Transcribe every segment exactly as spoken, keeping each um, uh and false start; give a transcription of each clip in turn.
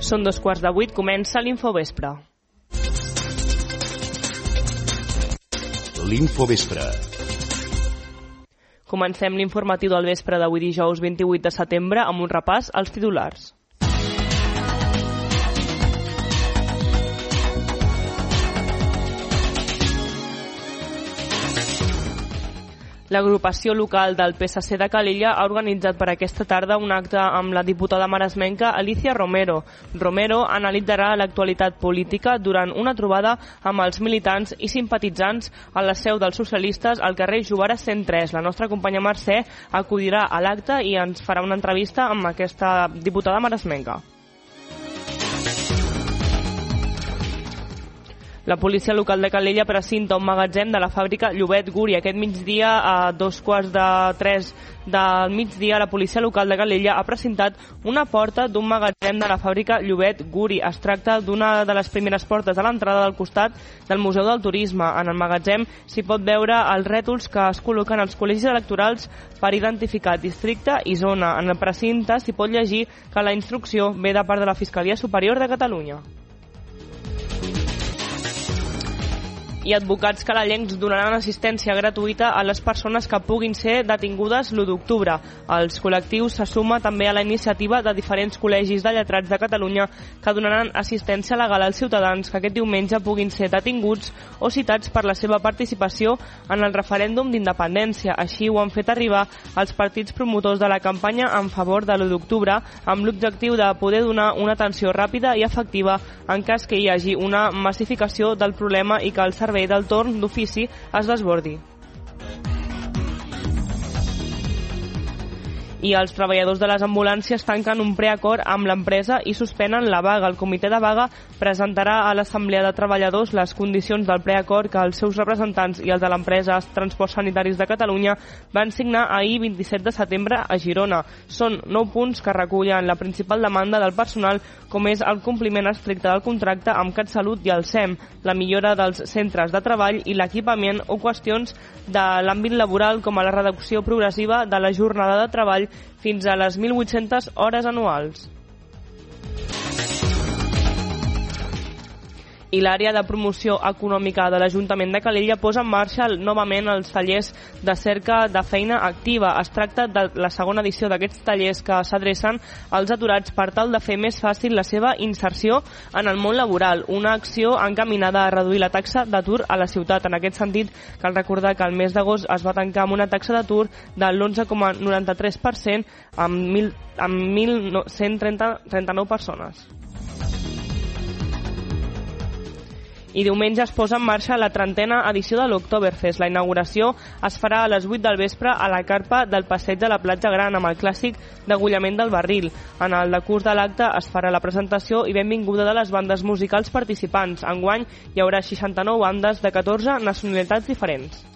Són dos quarts de vuit, comença l'Infovespre. L'Infovespre. Comencem l'informatiu del vespre d'avui dijous vint-i-vuit de setembre amb un repàs als titulars. L'agrupació local del P S C de Calella ha organitzat per aquesta tarda un acte amb la diputada maresmenca Alicia Romero. Romero analitzarà l'actualitat política durant una trobada amb els militants i simpatitzants a la seu dels socialistes al carrer Jovara cent tres. La nostra companya Mercè acudirà a l'acte i ens farà una entrevista amb aquesta diputada maresmenca. La policia local de Calella precinta un magatzem de la fàbrica Llobet Guri. Aquest migdia, a dos quarts de tres del migdia, la policia local de Calella ha precintat una porta d'un magatzem de la fàbrica Llobet Guri. Es tracta d'una de les primeres portes a l'entrada del costat del Museu del Turisme. En el magatzem s'hi pot veure els rètols que es col·loquen als col·legis electorals per identificar districte i zona. En el precinte s'hi pot llegir que la instrucció ve de part de la Fiscalia Superior de Catalunya. I advocats calellencs donaran assistència gratuïta a les persones que puguin ser detingudes l'u d'octubre. Els col·lectius se suma també a la iniciativa de diferents col·legis de lletrats de Catalunya que donaran assistència legal als ciutadans que aquest diumenge puguin ser detinguts o citats per la seva participació en el referèndum d'independència. Així ho han fet arribar els partits promotors de la campanya en favor de l'u d'octubre amb l'objectiu de poder donar una atenció ràpida i efectiva en cas que hi hagi una massificació del problema i que el servei del torn d'ofici es desbordi. I els treballadors de les ambulàncies tanquen un preacord amb l'empresa i suspenen la vaga. El comitè de vaga presentarà a l'Assemblea de Treballadors les condicions del preacord que els seus representants i els de l'empresa Transports Sanitaris de Catalunya van signar ahir vint-i-set de setembre a Girona. Són nou punts que recullen la principal demanda del personal, com és el compliment estricte del contracte amb CatSalut i el S E M, la millora dels centres de treball i l'equipament o qüestions de l'àmbit laboral com a la reducció progressiva de la jornada de treball fins a les mil vuit-centes hores anuals. I l'àrea de promoció econòmica de l'Ajuntament de Calella posa en marxa novament els tallers de cerca de feina activa. Es tracta de la segona edició d'aquests tallers que s'adrecen als aturats per tal de fer més fàcil la seva inserció en el món laboral, una acció encaminada a reduir la taxa d'atur a la ciutat. En aquest sentit, cal recordar que el mes d'agost es va tancar amb una taxa d'atur de l'onze coma noranta-tres per cent amb mil cent trenta-nou persones. I diumenge es posa en marxa la trentena edició de l'Oktoberfest. La inauguració es farà a les vuit del vespre a la carpa del passeig de la Platja Gran amb el clàssic degollament del barril. En el decurs de l'acte es farà la presentació i benvinguda de les bandes musicals participants. Enguany hi haurà seixanta-nou bandes de catorze nacionalitats diferents.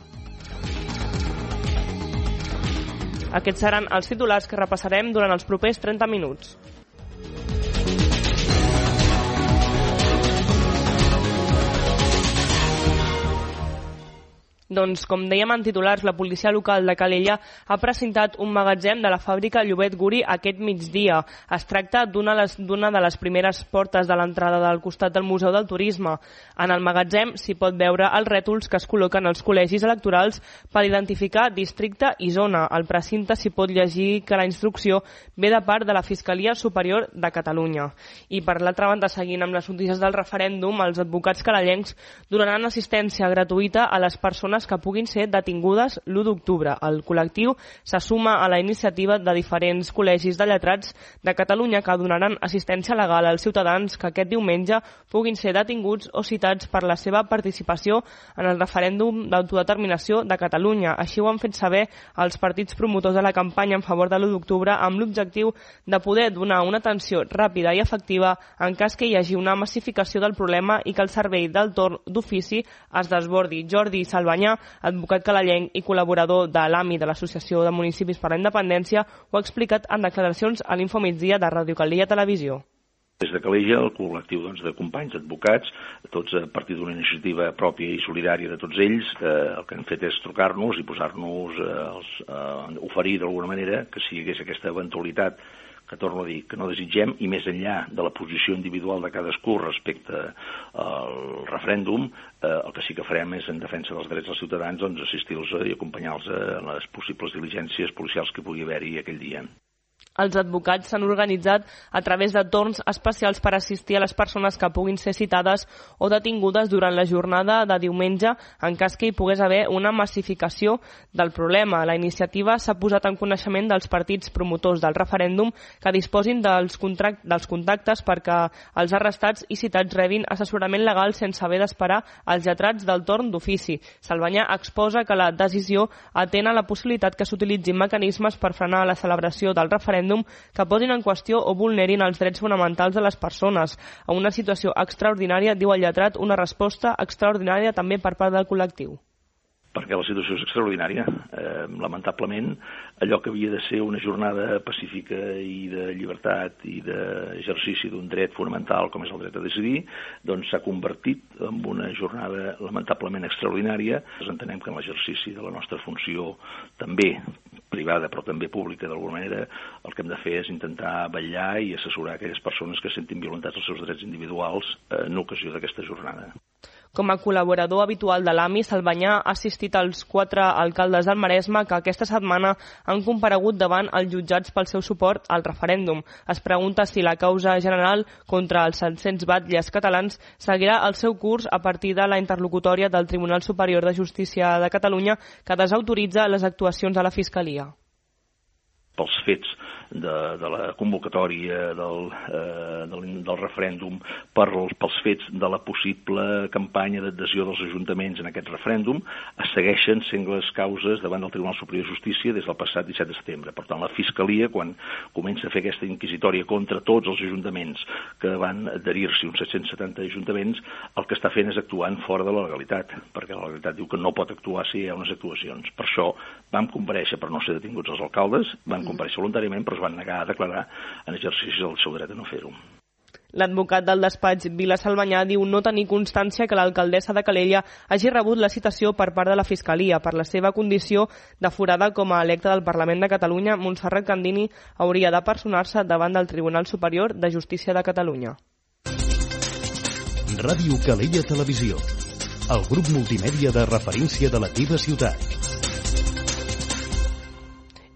Aquests seran els titulars que repassarem durant els propers trenta minuts. Doncs, com dèiem en titulars, la policia local de Calella ha presentat un magatzem de la fàbrica Llobet Guri aquest migdia. Es tracta d'una de les primeres portes de l'entrada del costat del Museu del Turisme. En el magatzem s'hi pot veure els rètols que es col·loquen als col·legis electorals per identificar districte i zona. Al precinte s'hi pot llegir que la instrucció ve de part de la Fiscalia Superior de Catalunya. I per l'altra banda, seguint amb les notícies del referèndum, els advocats calellencs donaran assistència gratuïta a les persones que puguin ser detingudes l'u d'octubre. El col·lectiu se suma a la iniciativa de diferents col·legis de lletrats de Catalunya que donaran assistència legal als ciutadans que aquest diumenge puguin ser detinguts o citats per la seva participació en el referèndum d'autodeterminació de Catalunya. Així ho han fet saber els partits promotors de la campanya en favor de l'u d'octubre amb l'objectiu de poder donar una atenció ràpida i efectiva en cas que hi hagi una massificació del problema i que el servei del torn d'ofici es desbordi. Jordi Salvanyà, advocat calellenc i col·laborador de l'A M I de l'Associació de Municipis per la Independència, ho ha explicat en declaracions a l'Infomigdia de Ràdio Calella Televisió. Des de Calella, el col·lectiu doncs, de companys, advocats, tots a partir d'una iniciativa pròpia i solidària de tots ells, eh, el que han fet és trucar-nos i posar-nos, eh, els, eh, oferir d'alguna manera que si hi hagués aquesta eventualitat que torno a dir, que no desitgem, i més enllà de la posició individual de cadascú respecte al referèndum, eh, el que sí que farem és, en defensa dels drets dels ciutadans, doncs, assistir-los i acompanyar-los en les possibles diligències policials que pugui haver-hi aquell dia. Els advocats s'han organitzat a través de torns especials per assistir a les persones que puguin ser citades o detingudes durant la jornada de diumenge en cas que hi pogués haver una massificació del problema. La iniciativa s'ha posat en coneixement dels partits promotors del referèndum que disposin dels, dels contactes perquè els arrestats i citats rebin assessorament legal sense haver d'esperar els lletrats del torn d'ofici. Salvanyà exposa que la decisió atén a la possibilitat que s'utilitzin mecanismes per frenar la celebració del referèndum que posin en qüestió o vulnerin els drets fonamentals de les persones. A una situació extraordinària, diu el lletrat, una resposta extraordinària també per part del col·lectiu. Perquè la situació és extraordinària. Eh, lamentablement, allò que havia de ser una jornada pacífica i de llibertat i d'exercici d'un dret fonamental com és el dret a decidir, doncs s'ha convertit en una jornada lamentablement extraordinària. Ens entenem que en l'exercici de la nostra funció també privada però també pública d'alguna manera, el que hem de fer és intentar vetllar i assessorar aquelles persones que sentin violentats els seus drets individuals en ocasió d'aquesta jornada. Com a col·laborador habitual de l'A M I, Salvanyà ha assistit als quatre alcaldes del Maresme que aquesta setmana han comparegut davant els jutjats pel seu suport al referèndum. Es pregunta si la causa general contra els set-cents batlles catalans seguirà el seu curs a partir de la interlocutòria del Tribunal Superior de Justícia de Catalunya que desautoritza les actuacions de la Fiscalia. Pels fets de, de la convocatòria del, eh, del, del referèndum, per, pels fets de la possible campanya d'adhesió dels ajuntaments en aquest referèndum, es segueixen sent les causes davant del Tribunal Superior de Justícia des del passat disset de setembre. Per tant, la Fiscalia, quan comença a fer aquesta inquisitòria contra tots els ajuntaments que van adherir-s'hi, uns set-cents setanta ajuntaments, el que està fent és actuant fora de la legalitat, perquè la legalitat diu que no pot actuar si hi ha unes actuacions. Per això vam comparèixer per no ser detinguts els alcaldes, van comparèixer voluntàriament, però es van negar a declarar en exercici del seu dret a no fer-ho. L'advocat del despatx Vila Salvanyà diu no tenir constància que l'alcaldessa de Calella hagi rebut la citació per part de la Fiscalia. Per la seva condició de forada com a electa del Parlament de Catalunya, Montserrat Candini hauria de personar-se davant del Tribunal Superior de Justícia de Catalunya. Ràdio Calella Televisió, el grup multimèdia de referència de la teva ciutat.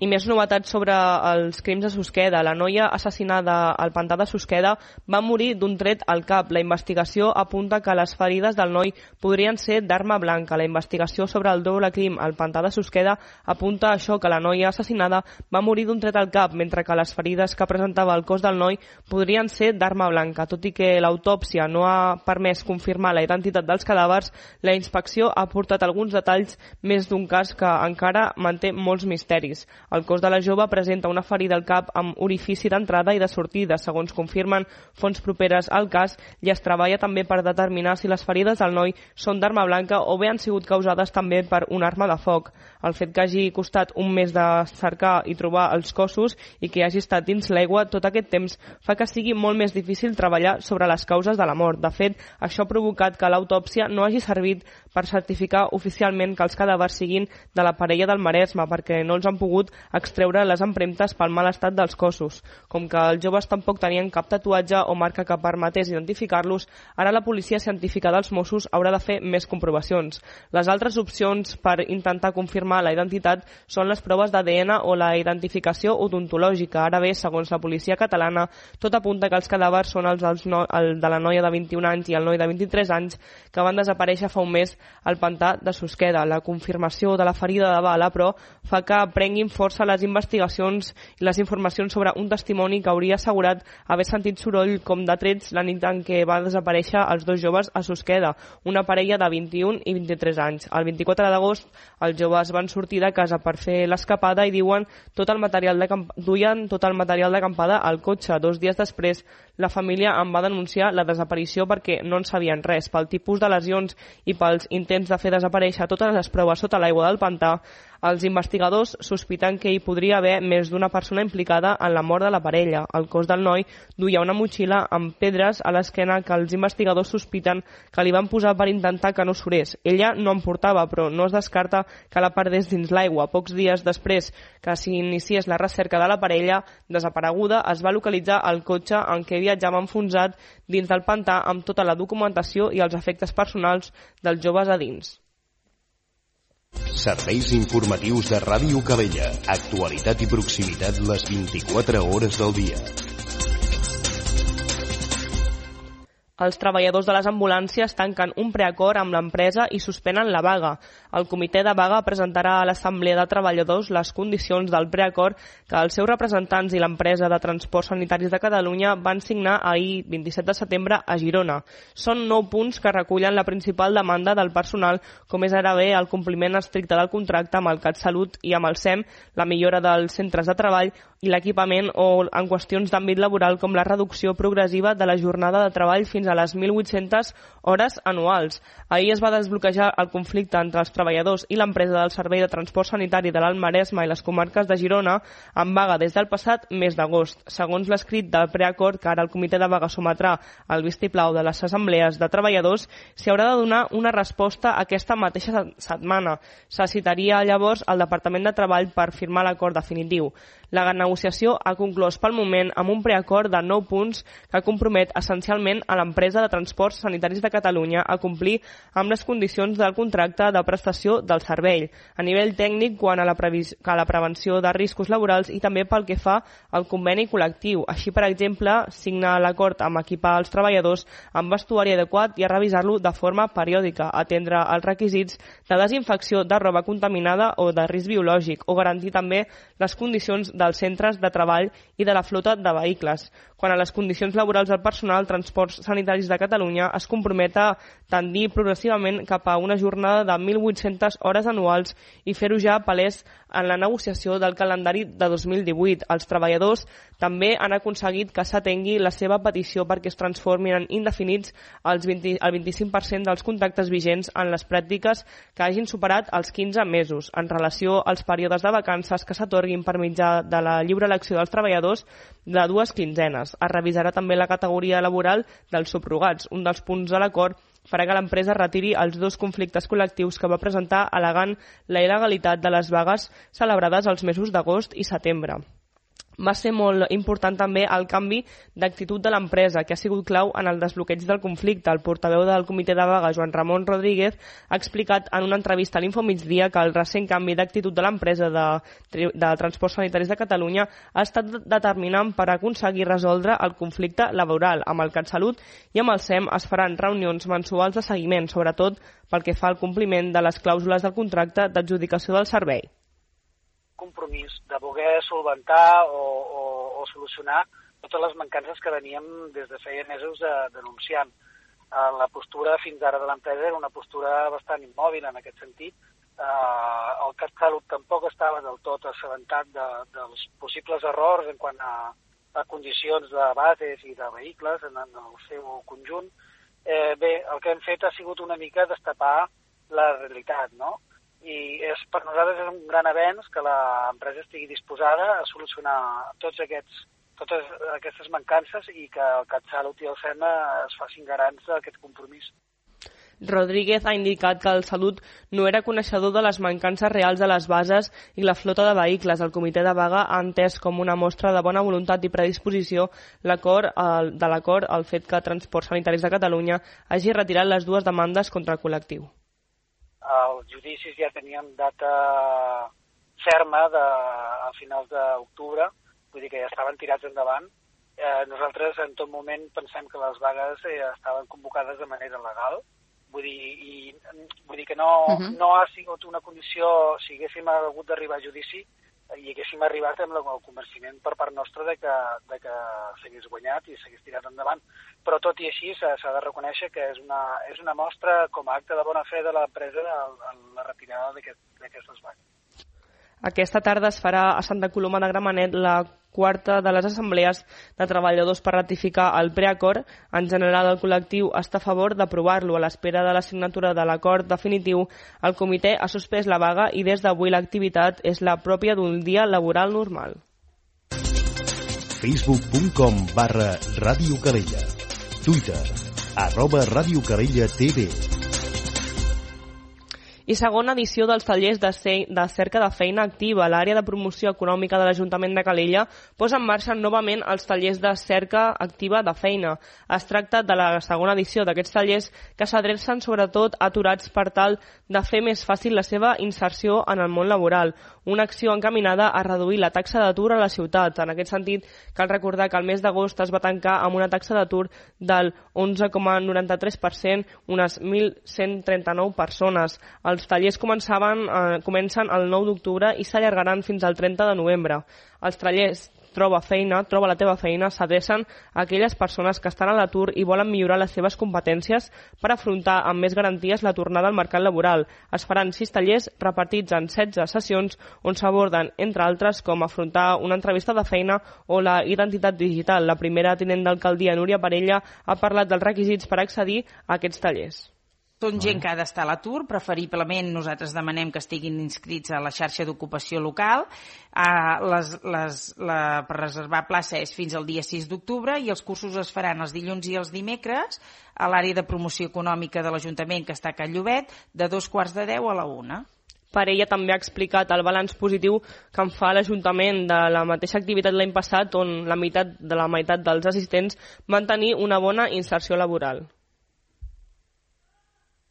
I més novetats sobre els crims de Susqueda. La noia assassinada al pantà de Susqueda va morir d'un tret al cap. La investigació apunta que les ferides del noi podrien ser d'arma blanca. La investigació sobre el doble crim al pantà de Susqueda apunta a això, que la noia assassinada va morir d'un tret al cap, mentre que les ferides que presentava el cos del noi podrien ser d'arma blanca. Tot i que l'autòpsia no ha permès confirmar la identitat dels cadàvers, la inspecció ha aportat alguns detalls més d'un cas que encara manté molts misteris. El cos de la jove presenta una ferida al cap amb orifici d'entrada i de sortida. Segons confirmen fonts properes al cas, i es treballa també per determinar si les ferides del noi són d'arma blanca o bé han sigut causades també per una arma de foc. El fet que hagi costat un mes de cercar i trobar els cossos i que hagi estat dins l'aigua tot aquest temps fa que sigui molt més difícil treballar sobre les causes de la mort. De fet, això ha provocat que l'autòpsia no hagi servit per certificar oficialment que els cadàvers siguin de la parella del Maresme, perquè no els han pogut extreure les empremtes pel mal estat dels cossos. Com que els joves tampoc tenien cap tatuatge o marca que permetés identificar-los, ara la policia científica dels Mossos haurà de fer més comprovacions. Les altres opcions per intentar confirmar la identitat són les proves d'A D N o la identificació odontològica. Ara bé, segons la policia catalana, tot apunta que els cadàvers són els dels no, el de la noia de vint-i-un anys i el noi de vint-i-tres anys que van desaparèixer fa un mes al pantà de Susqueda. La confirmació de la ferida de bala, però, fa que prenguin força les investigacions i les informacions sobre un testimoni que hauria assegurat haver sentit soroll com de trets la nit en què va desaparèixer els dos joves a Susqueda, una parella de vint-i-un i vint-i-tres anys. El vint-i-quatre d'agost els joves van sortir de casa per fer l'escapada i diuen tot el material de camp... duien tot el material d'acampada al cotxe. Dos dies després la família en va denunciar la desaparició perquè no en sabien res. Pel tipus de lesions i pels intents de fer desaparèixer totes les proves sota l'aigua del pantà, Els investigadors sospiten que hi podria haver més d'una persona implicada en la mort de la parella. El cos del noi duia una motxilla amb pedres a l'esquena que els investigadors sospiten que li van posar per intentar que no surés. Ella no en portava, però no es descarta que la perdés dins l'aigua. Pocs dies després que s'iniciés la recerca de la parella desapareguda, es va localitzar el cotxe en què viatjava enfonsat dins del pantà amb tota la documentació i els efectes personals dels joves a dins. Serveis informatius de Ràdio Calella. Actualitat i proximitat les vint-i-quatre hores del dia. Els treballadors de les ambulàncies tanquen un preacord amb l'empresa i suspenen la vaga. El comitè de vaga presentarà a l'Assemblea de Treballadors les condicions del preacord que els seus representants i l'empresa de transports sanitaris de Catalunya van signar ahir, vint-i-set de setembre, a Girona. Són nou punts que recullen la principal demanda del personal, com és ara bé el compliment estricte del contracte amb el CatSalut i amb el SEM, la millora dels centres de treball i l'equipament o en qüestions d'àmbit laboral com la reducció progressiva de la jornada de treball fins a les mil vuit-centes hores anuals. Ahir es va desbloquejar el conflicte entre els treballadors i l'empresa del Servei de Transport Sanitari de l'Alt Maresme i les comarques de Girona en vaga des del passat mes d'agost. Segons l'escrit del preacord que ara el comitè de vaga sometrà al vistiplau de les assemblees de treballadors, s'hi haurà de donar una resposta aquesta mateixa setmana. Se citaria llavors al Departament de Treball per firmar l'acord definitiu. La negociació ha conclòs pel moment amb un preacord de nou punts que compromet essencialment a l'empresa de transports sanitaris de Catalunya a complir amb les condicions del contracte de prestació del servei, a nivell tècnic quant a la, a la prevenció de riscos laborals i també pel que fa al conveni col·lectiu. Així, per exemple, signar l'acord amb equipar els treballadors amb vestuari adequat i a revisar-lo de forma periòdica, atendre els requisits de desinfecció de roba contaminada o de risc biològic o garantir també les condicions dels centres de treball i de la flota de vehicles. Quan a les condicions laborals del personal, Transports Sanitaris de Catalunya es compromet a tendir progressivament cap a una jornada de mil vuit-centes hores anuals i fer-ho ja palès en la negociació del calendari de dos mil divuit. Els treballadors també han aconseguit que s'atengui la seva petició perquè es transformin en indefinits els vint, el vint-i-cinc per cent dels contractes vigents en les pràctiques que hagin superat els quinze mesos. En relació als períodes de vacances que s'atorguin per mitjà de la lliure elecció dels treballadors de dues quinzenes. Es revisarà també la categoria laboral dels subrogats, un dels punts de l'acord farà que l'empresa retiri els dos conflictes col·lectius que va presentar al·legant la il·legalitat de les vagues celebrades els mesos d'agost i setembre. Va ser molt important també el canvi d'actitud de l'empresa, que ha sigut clau en el desbloqueig del conflicte. El portaveu del comitè de vaga, Joan Ramon Rodríguez, ha explicat en una entrevista a l'Infomigdia que el recent canvi d'actitud de l'empresa de, de Transports Sanitaris de Catalunya ha estat determinant per aconseguir resoldre el conflicte laboral. Amb el CatSalut i amb el SEM es faran reunions mensuals de seguiment, sobretot pel que fa al compliment de les clàusules del contracte d'adjudicació del servei. Compromís de voler solventar o, o, o solucionar totes les mancances que veníem des de feia mesos de, denunciant. La postura fins ara de l'empresa era una postura bastant immòbil en aquest sentit. Eh, el CatSalut tampoc estava del tot assabentat de, dels possibles errors en quant a, a condicions de bases i de vehicles en, en el seu conjunt. Eh, bé, el que hem fet ha sigut una mica destapar la realitat, no? I és, per nosaltres és un gran avenç que l'empresa estigui disposada a solucionar tots aquests, totes aquestes mancances i que el CatSalut i el SEM es facin garants d'aquest compromís. Rodríguez ha indicat que el Salut no era coneixedor de les mancances reals de les bases i la flota de vehicles. El comitè de vaga ha entès com una mostra de bona voluntat i predisposició l'acord de l'acord el fet que Transports Sanitaris de Catalunya hagi retirat les dues demandes contra el col·lectiu. Els judicis ja tenien data ferma de, a finals d'octubre, vull dir que ja estaven tirats endavant. Eh, nosaltres en tot moment pensem que les vagues eh, estaven convocades de manera legal, vull dir, i, vull dir que no, uh-huh. no ha sigut una condició, si haguéssim hagut d'arribar a judici, i haguéssim arribat amb el convenciment per part nostra de que, de que s'hagués guanyat i s'hagués tirat endavant. Però tot i així s'ha de reconèixer que és una, és una mostra com a acte de bona fe de l'empresa en la retirada d'aquestes vagues. Aquesta tarda es farà a Santa Coloma de Gramenet la quarta de les assemblees de treballadors per ratificar el preacord. En general, el col·lectiu està a favor d'aprovar-lo. A l'espera de la signatura de l'acord definitiu, el comitè ha suspès la vaga i des d'avui l'activitat és la pròpia d'un dia laboral normal. facebook punt com barra Ràdio Calella. Twitter, arroba Ràdio Calella T V. I segona edició dels tallers de, ce... de cerca de feina activa. L'àrea de promoció econòmica de l'Ajuntament de Calella posa en marxa novament els tallers de cerca activa de feina. Es tracta de la segona edició d'aquests tallers que s'adrecen sobretot a aturats per tal de fer més fàcil la seva inserció en el món laboral. Una acció encaminada a reduir la taxa d'atur a la ciutat. En aquest sentit, cal recordar que el mes d'agost es va tancar amb una taxa d'atur del onze coma noranta-tres per cent, unes mil cent trenta-nou persones. Els tallers començaven, eh, comencen el nou d'octubre i s'allargaran fins al trenta de novembre. Els tallers Troba feina, troba la teva feina, s'adrecen a aquelles persones que estan a l'atur i volen millorar les seves competències per afrontar amb més garanties la tornada al mercat laboral. Es faran sis tallers repartits en setze sessions on s'aborden, entre altres, com afrontar una entrevista de feina o la identitat digital. La primera tinent d'alcaldia, Núria Parella, ha parlat dels requisits per accedir a aquests tallers. Són gent que ha d'estar a l'atur, preferiblement nosaltres demanem que estiguin inscrits a la xarxa d'ocupació local. Uh, les, les, la, per reservar plaça és fins al dia sis d'octubre i els cursos es faran els dilluns i els dimecres a l'àrea de promoció econòmica de l'Ajuntament, que està a Can Llobet, de dos quarts de deu a la una. Parella també ha explicat el balanç positiu que en fa l'Ajuntament de la mateixa activitat l'any passat, on la meitat de la meitat dels assistents van tenir una bona inserció laboral.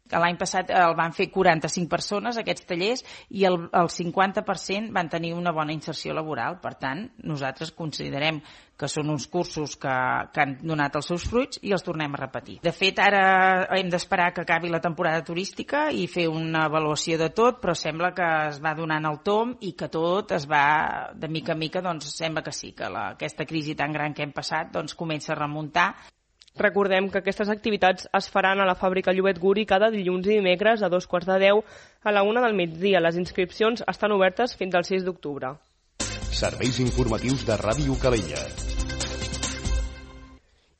L'any passat el van fer quaranta-cinc persones, aquests tallers, i el, el cinquanta per cent van tenir una bona inserció laboral. Per tant, nosaltres considerem que són uns cursos que, que han donat els seus fruits i els tornem a repetir. De fet, ara hem d'esperar que acabi la temporada turística i fer una avaluació de tot, però sembla que es va donant el tom i que tot es va, de mica en mica, doncs sembla que sí, que la, aquesta crisi tan gran que hem passat doncs comença a remuntar. Recordem que aquestes activitats es faran a la fàbrica Llobet Guri cada dilluns i dimecres a dos quarts de deu a la una del migdia. Les inscripcions estan obertes fins al sis d'octubre. Serveis informatius de Ràdio Calella.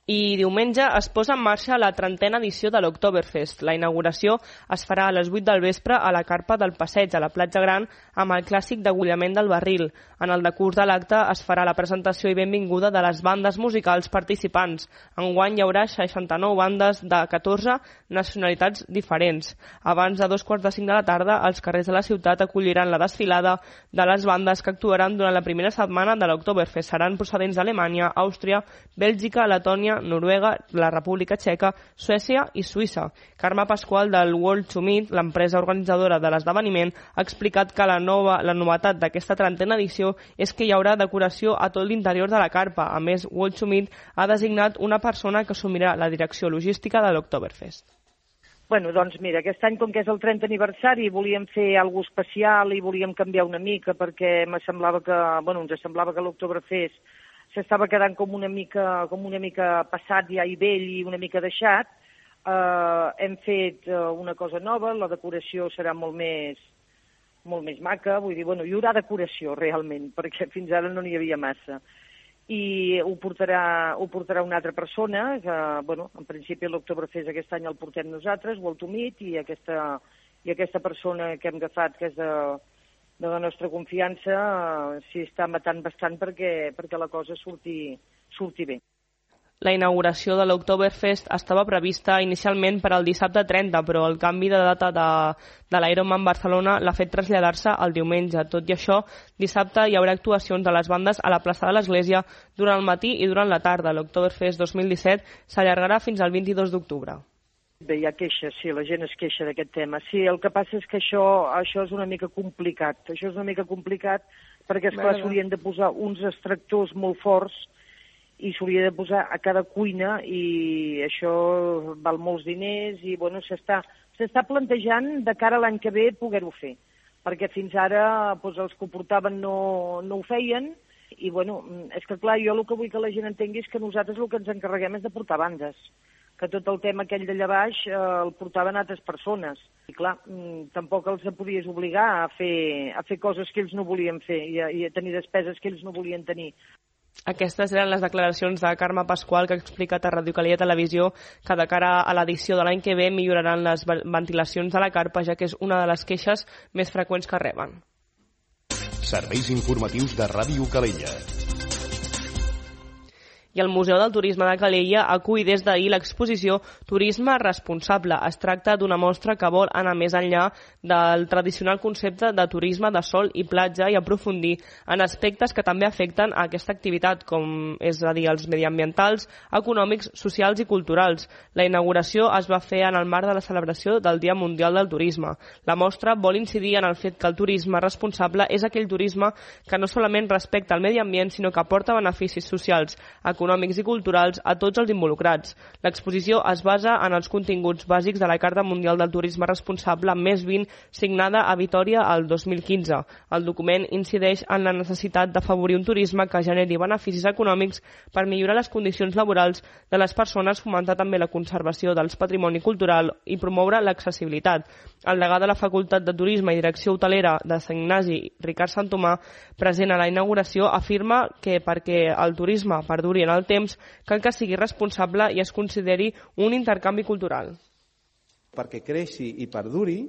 I diumenge es posa en marxa la trentena edició de l'Oktoberfest. La inauguració es farà a les vuit del vespre a la carpa del Passeig, a la Platja Gran, amb el clàssic degollament del barril. En el decurs de l'acte es farà la presentació i benvinguda de les bandes musicals participants. Enguany hi haurà seixanta-nou bandes de catorze nacionalitats diferents. Abans de dos quarts de cinc de la tarda, els carrers de la ciutat acolliran la desfilada de les bandes que actuaran durant la primera setmana de l'Oktoberfest. Seran procedents d'Alemanya, Àustria, Bèlgica, Letònia, Noruega, la República Txeca, Suècia i Suïssa. Carme Pasqual del World to Meet, l'empresa organitzadora de l'esdeveniment, ha explicat que la nova la novetat d'aquesta trentena edició és que hi haurà decoració a tot l'interior de la carpa. A més, World to Meet ha designat una persona que assumirà la direcció logística de l'Oktoberfest. Bueno, doncs mira, aquest any, com que és el trentè aniversari, volíem fer alguna cosa especial i volíem canviar una mica perquè me semblava que, bueno, ens semblava que l'Oktoberfest s'estava quedant com una mica com una mica passat ja i vell i una mica deixat. Uh, hem fet uh, una cosa nova, la decoració serà molt més, molt més maca, vull dir, bueno, hi haurà decoració realment, perquè fins ara no n'hi havia massa. I ho portarà, ho portarà una altra persona, que, bueno, en principi l'Oktoberfest aquest any el portem nosaltres, World to Meet, i aquesta, i aquesta persona que hem agafat, que és de... de la nostra confiança, eh, s'hi està matant bastant perquè, perquè la cosa surti, surti bé. La inauguració de l'Oktoberfest estava prevista inicialment per al dissabte trenta, però el canvi de data de, de l'Ironman Barcelona l'ha fet traslladar-se al diumenge. Tot i això, dissabte hi haurà actuacions de les bandes a la plaça de l'Església durant el matí i durant la tarda. L'Oktoberfest dos mil disset s'allargarà fins al vint-i-dos d'octubre. Bé, hi ha queixes, sí, la gent es queixa d'aquest tema. Sí, el que passa és que això, això és una mica complicat. Això és una mica complicat perquè, esclar, s'haurien de posar uns extractors molt forts i s'hauria de posar a cada cuina i això val molts diners i, bueno, s'està s'està plantejant de cara a l'any que ve poder-ho fer. Perquè fins ara doncs, els que ho portaven no, no ho feien i, bueno, és que, clar, jo el que vull que la gent entengui és que nosaltres el que ens encarreguem és de portar bandes. que tot el tema aquell d'allà baix eh, el portaven altres persones. I clar, mm, tampoc els podies obligar a fer, a fer coses que ells no volien fer i a, i a tenir despeses que ells no volien tenir. Aquestes eren les declaracions de Carme Pasqual, que ha explicat a Ràdio Calella Televisió que de cara a l'edició de l'any que ve milloraran les ventilacions de la carpa, ja que és una de les queixes més freqüents que reben. Serveis informatius de Ràdio Calella. I el Museu del Turisme de Calella acull des d'ahir l'exposició Turisme Responsable. Es tracta d'una mostra que vol anar més enllà del tradicional concepte de turisme de sol i platja i aprofundir en aspectes que també afecten a aquesta activitat, com és a dir, els mediambientals, econòmics, socials i culturals. La inauguració es va fer en el marc de la celebració del Dia Mundial del Turisme. La mostra vol incidir en el fet que el turisme responsable és aquell turisme que no solament respecta el medi ambient, sinó que aporta beneficis socials, econòmics i culturals a tots els involucrats. L'exposició es basa en els continguts bàsics de la Carta Mundial del Turisme Responsable més vint, signada a Vitòria el dos mil quinze. El document incideix en la necessitat d'afavorir un turisme que generi beneficis econòmics per millorar les condicions laborals de les persones, fomentar també la conservació del patrimoni cultural i promoure l'accessibilitat. El degà de la Facultat de Turisme i Direcció Hotelera de Sant Ignasi, Ricard Santomà, present a la inauguració, afirma que perquè el turisme perduri en el temps cal que sigui responsable i es consideri un intercanvi cultural. Perquè creixi i perduri,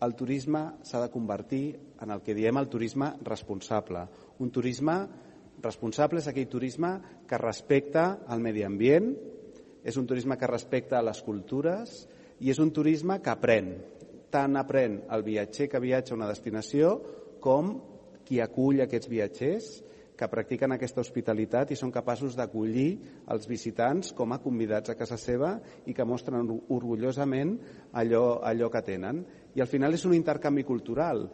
el turisme s'ha de convertir en el que diem el turisme responsable. Un turisme responsable és aquell turisme que respecta el medi ambient, és un turisme que respecta les cultures i és un turisme que aprèn. Tant aprèn el viatger que viatja a una destinació com qui acull aquests viatgers que practiquen aquesta hospitalitat i són capaços d'acollir els visitants com a convidats a casa seva i que mostren orgullosament allò, allò que tenen. I al final és un intercanvi cultural.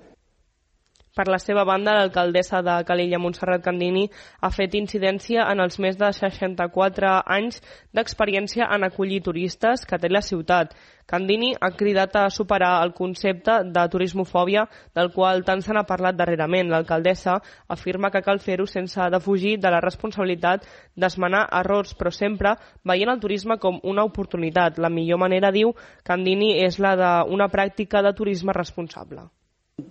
Per la seva banda, l'alcaldessa de Calella, Montserrat Candini, ha fet incidència en els més de seixanta-quatre anys d'experiència en acollir turistes que té la ciutat. Candini ha cridat a superar el concepte de turismofòbia del qual tant se n'ha parlat darrerament. L'alcaldessa afirma que cal fer-ho sense defugir de la responsabilitat d'esmenar errors, però sempre veient el turisme com una oportunitat. La millor manera, diu Candini, és la d'una pràctica de turisme responsable.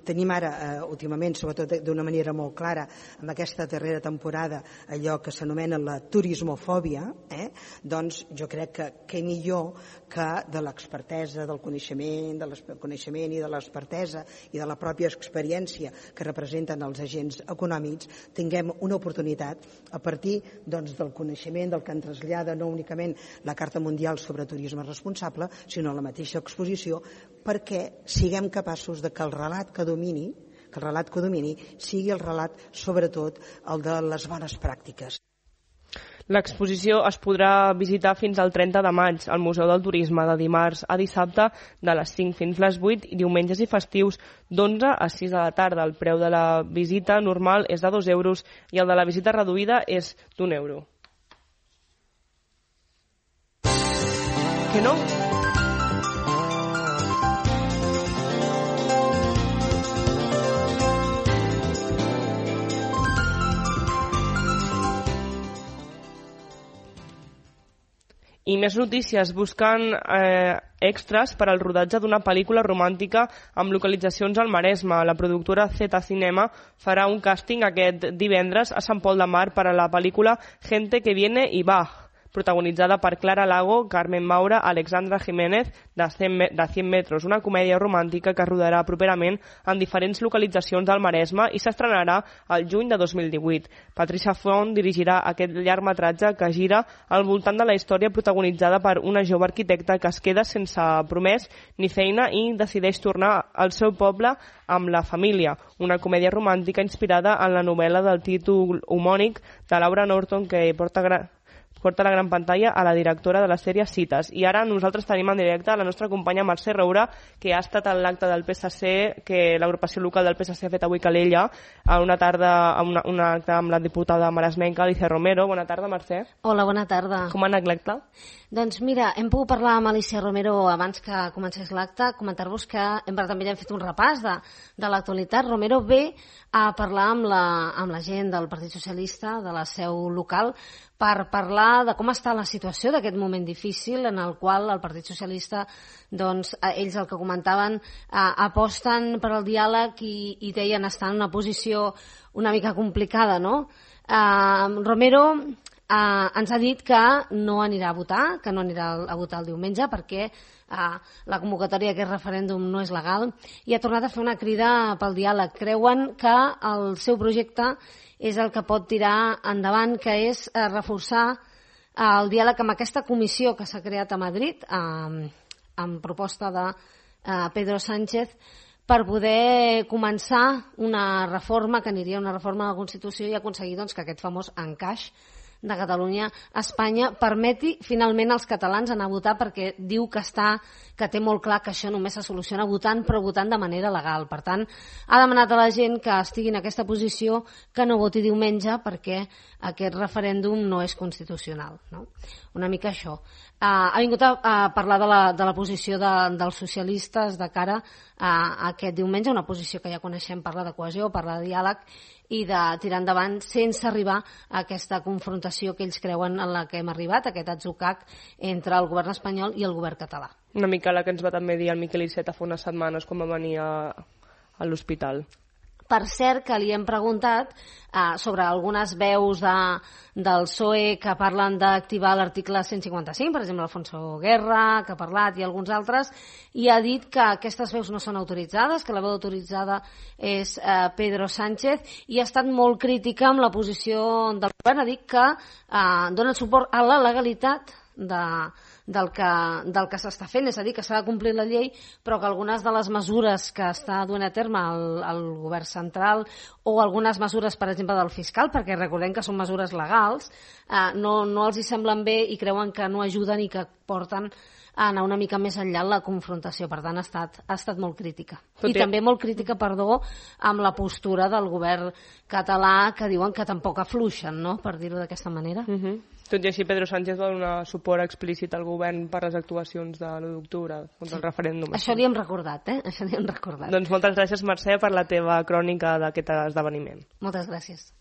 Tenim ara, eh, últimament, sobretot d'una manera molt clara, amb aquesta darrera temporada, allò que s'anomena la turismofòbia, eh? doncs jo crec que què millor que de l'expertesa, del coneixement, del coneixement i de l'expertesa i de la pròpia experiència que representen els agents econòmics, tinguem una oportunitat a partir doncs, del coneixement, del que ens trasllada no únicament la Carta Mundial sobre Turisme Responsable, sinó la mateixa exposició, perquè siguem capaços de que el relat que domini, que el relat que domini sigui el relat, sobretot, el de les bones pràctiques. L'exposició es podrà visitar fins al trenta de maig al Museu del Turisme, de dimarts a dissabte de les cinc fins les vuit i diumenges i festius d'onze a sis de la tarda. El preu de la visita normal és de dos euros i el de la visita reduïda és d'un euro. Que no? I més notícies. Busquen eh, extras per al rodatge d'una pel·lícula romàntica amb localitzacions al Maresme. La productora Z Cinema farà un càsting aquest divendres a Sant Pol de Mar per a la pel·lícula Gente que viene y va, protagonitzada per Clara Lago, Carmen Maura, Alexandra Jiménez, de cent metres, una comèdia romàntica que rodarà properament en diferents localitzacions del Maresme i s'estrenarà el juny de dos mil divuit. Patricia Font dirigirà aquest llargmetratge que gira al voltant de la història protagonitzada per una jove arquitecta que es queda sense promès ni feina i decideix tornar al seu poble amb la família. Una comèdia romàntica inspirada en la novel·la del títol homònic de Laura Norton que porta gran... porta la gran pantalla a la directora de la sèrie Cites. I ara nosaltres tenim en directe la nostra companya Mercè Roura, que ha estat a l'acte del P S C, que l'agrupació local del P S C ha fet avui a Calella, a una tarda, a una, una acte amb la diputada maresmenca Alicia Romero. Bona tarda, Mercè. Hola, bona tarda. Com ha anat l'acte? Doncs mira, hem pogut parlar amb Alicia Romero abans que comencés l'acte, comentar-vos que hem, també hem fet un repàs de, de l'actualitat. Romero ve a parlar amb la, amb la gent del Partit Socialista, de la seu local, per parlar de com està la situació d'aquest moment difícil en el qual el Partit Socialista, doncs, ells el que comentaven, eh, aposten per al diàleg i, i deien estar en una posició una mica complicada, no? Eh, Romero eh, ens ha dit que no anirà a votar, que no anirà a votar el diumenge perquè eh, la convocatòria d'aquest referèndum no és legal, i ha tornat a fer una crida pel diàleg. Creuen que el seu projecte és el que pot tirar endavant, que és eh, reforçar eh, el diàleg amb aquesta comissió que s'ha creat a Madrid, eh, amb proposta de eh, Pedro Sánchez, per poder començar una reforma, que aniria una reforma de la Constitució, i aconseguir doncs, que aquest famós encaix de Catalunya a Espanya permeti finalment als catalans anar a votar, perquè diu que està que té molt clar que això només se soluciona votant, però votant de manera legal. Per tant, ha demanat a la gent que estigui en aquesta posició que no voti diumenge perquè aquest referèndum no és constitucional, no? Una mica això. Uh, ha vingut a, a parlar de la, de la posició de, dels socialistes de cara a, a aquest diumenge, una posició que ja coneixem, parla de cohesió, parla de diàleg i de tirar endavant sense arribar a aquesta confrontació que ells creuen en la que hem arribat, aquest atzucac entre el govern espanyol i el govern català. Una mica la que ens va també dir el Miquel Iceta fa unes setmanes quan va venir a, a l'hospital. Per cert, que li hem preguntat eh, sobre algunes veus de, del P S O E que parlen d'activar l'article cent cinquanta-cinc, per exemple, Alfonso Guerra, que ha parlat, i alguns altres, i ha dit que aquestes veus no són autoritzades, que la veu autoritzada és eh, Pedro Sánchez, i ha estat molt crítica amb la posició del govern. Ha dit que eh, donen suport a la legalitat de, del que, del que s'està fent, és a dir, que s'ha de complir la llei, però que algunes de les mesures que està duent a terme el, el govern central, o algunes mesures, per exemple, del fiscal, perquè recordem que són mesures legals, eh, no, no els hi semblen bé i creuen que no ajuden i que porten a anar una mica més enllà en la confrontació. Per tant, ha estat, ha estat molt crítica. Tot I ja. també molt crítica, perdó, amb la postura del govern català, que diuen que tampoc afluixen, no?, per dir-ho d'aquesta manera. Uh -huh. Tot i així, Pedro Sánchez va donar suport explícit al govern per les actuacions de l'u d'octubre contra el referèndum. Això li hem recordat, eh? Això li hem recordat. Doncs moltes gràcies, Mercè, per la teva crònica d'aquest esdeveniment. Moltes gràcies.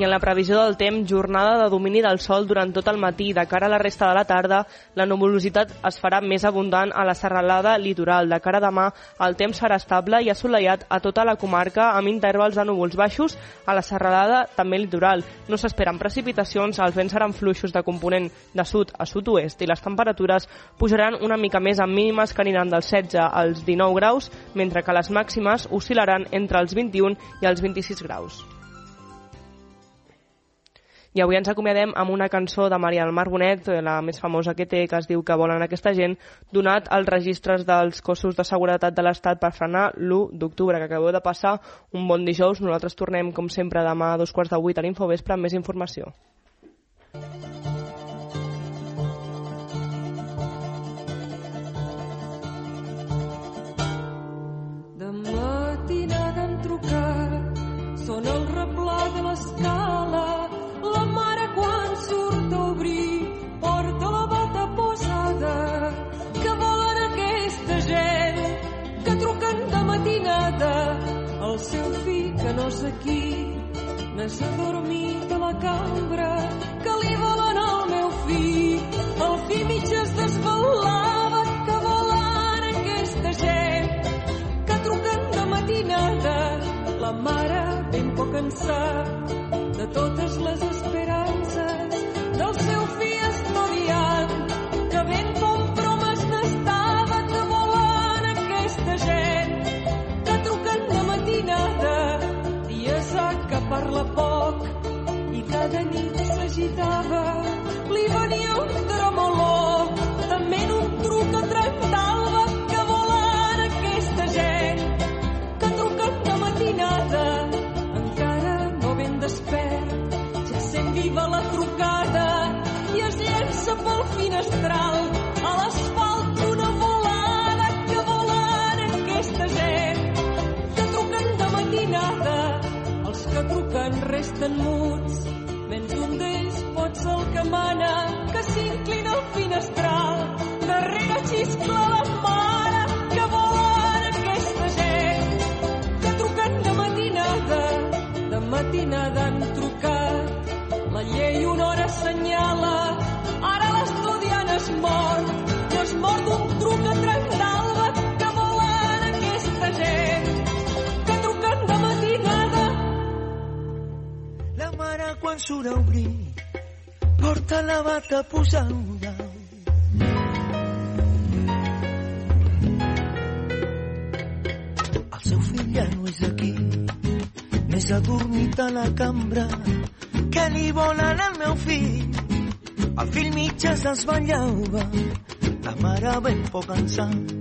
I en la previsió del temps, jornada de domini del sol durant tot el matí. De cara a la resta de la tarda, la nuvolositat es farà més abundant a la serralada litoral. De cara a demà, el temps serà estable i assolellat a tota la comarca, amb intervals de núvols baixos a la serralada també litoral. No s'esperen precipitacions, els vents seran fluixos de component de sud a sud-oest i les temperatures pujaran una mica més amb mínimes que aniran dels setze als dinou graus, mentre que les màximes oscil·laran entre els vint-i-un i els vint-i-sis graus. I avui ens acomiadem amb una cançó de Maria del Mar Bonet, la més famosa que té, que es diu Que volen aquesta gent, donat als registres dels cossos de seguretat de l'Estat per frenar l'u d'octubre, que acabeu de passar un bon dijous. Nosaltres tornem, com sempre, demà a dos quarts de vuit a l'Infovespre amb més informació. De matinada han trucat, són el replà de l'escala. La mare quan surt a obrir porta la bata posada. Que volen aquesta gent que truquen de matinada? El seu fill que no és aquí, n'és adormit a la cambra. Que li volen al meu fill? El fill mig es desvelava. Que volen aquesta gent que truquen de matinada? La mare ben poc cansat de totes les esperances del seu fill estudiant, que ben compromes n'estava. Que volen aquesta gent que truquen de matinada? Dies ha que parla poc i cada nit s'agitava. Li venia un tremolor, també en un truc a trenta-alba. Que volen aquesta gent que truquen de matinada? Despert, ja sent viva la trucada i es llença pel finestral a l'asfalt una volada. Que volen aquesta gent que truquen de matinada? Els que truquen resten muts, menys un d'ells pot ser el que mana, que s'inclina al finestral, darrere xiscla la mort, no és mort d'un truc a trenc d'alba que volen aquesta gent, que truquen de matinada. La mare quan surt a obrir porta la bata posada. El seu fill ja no és aquí, més adormit a la cambra. Què li volen al meu fill? El fill mig es desvetllava, la mare ben poc cansat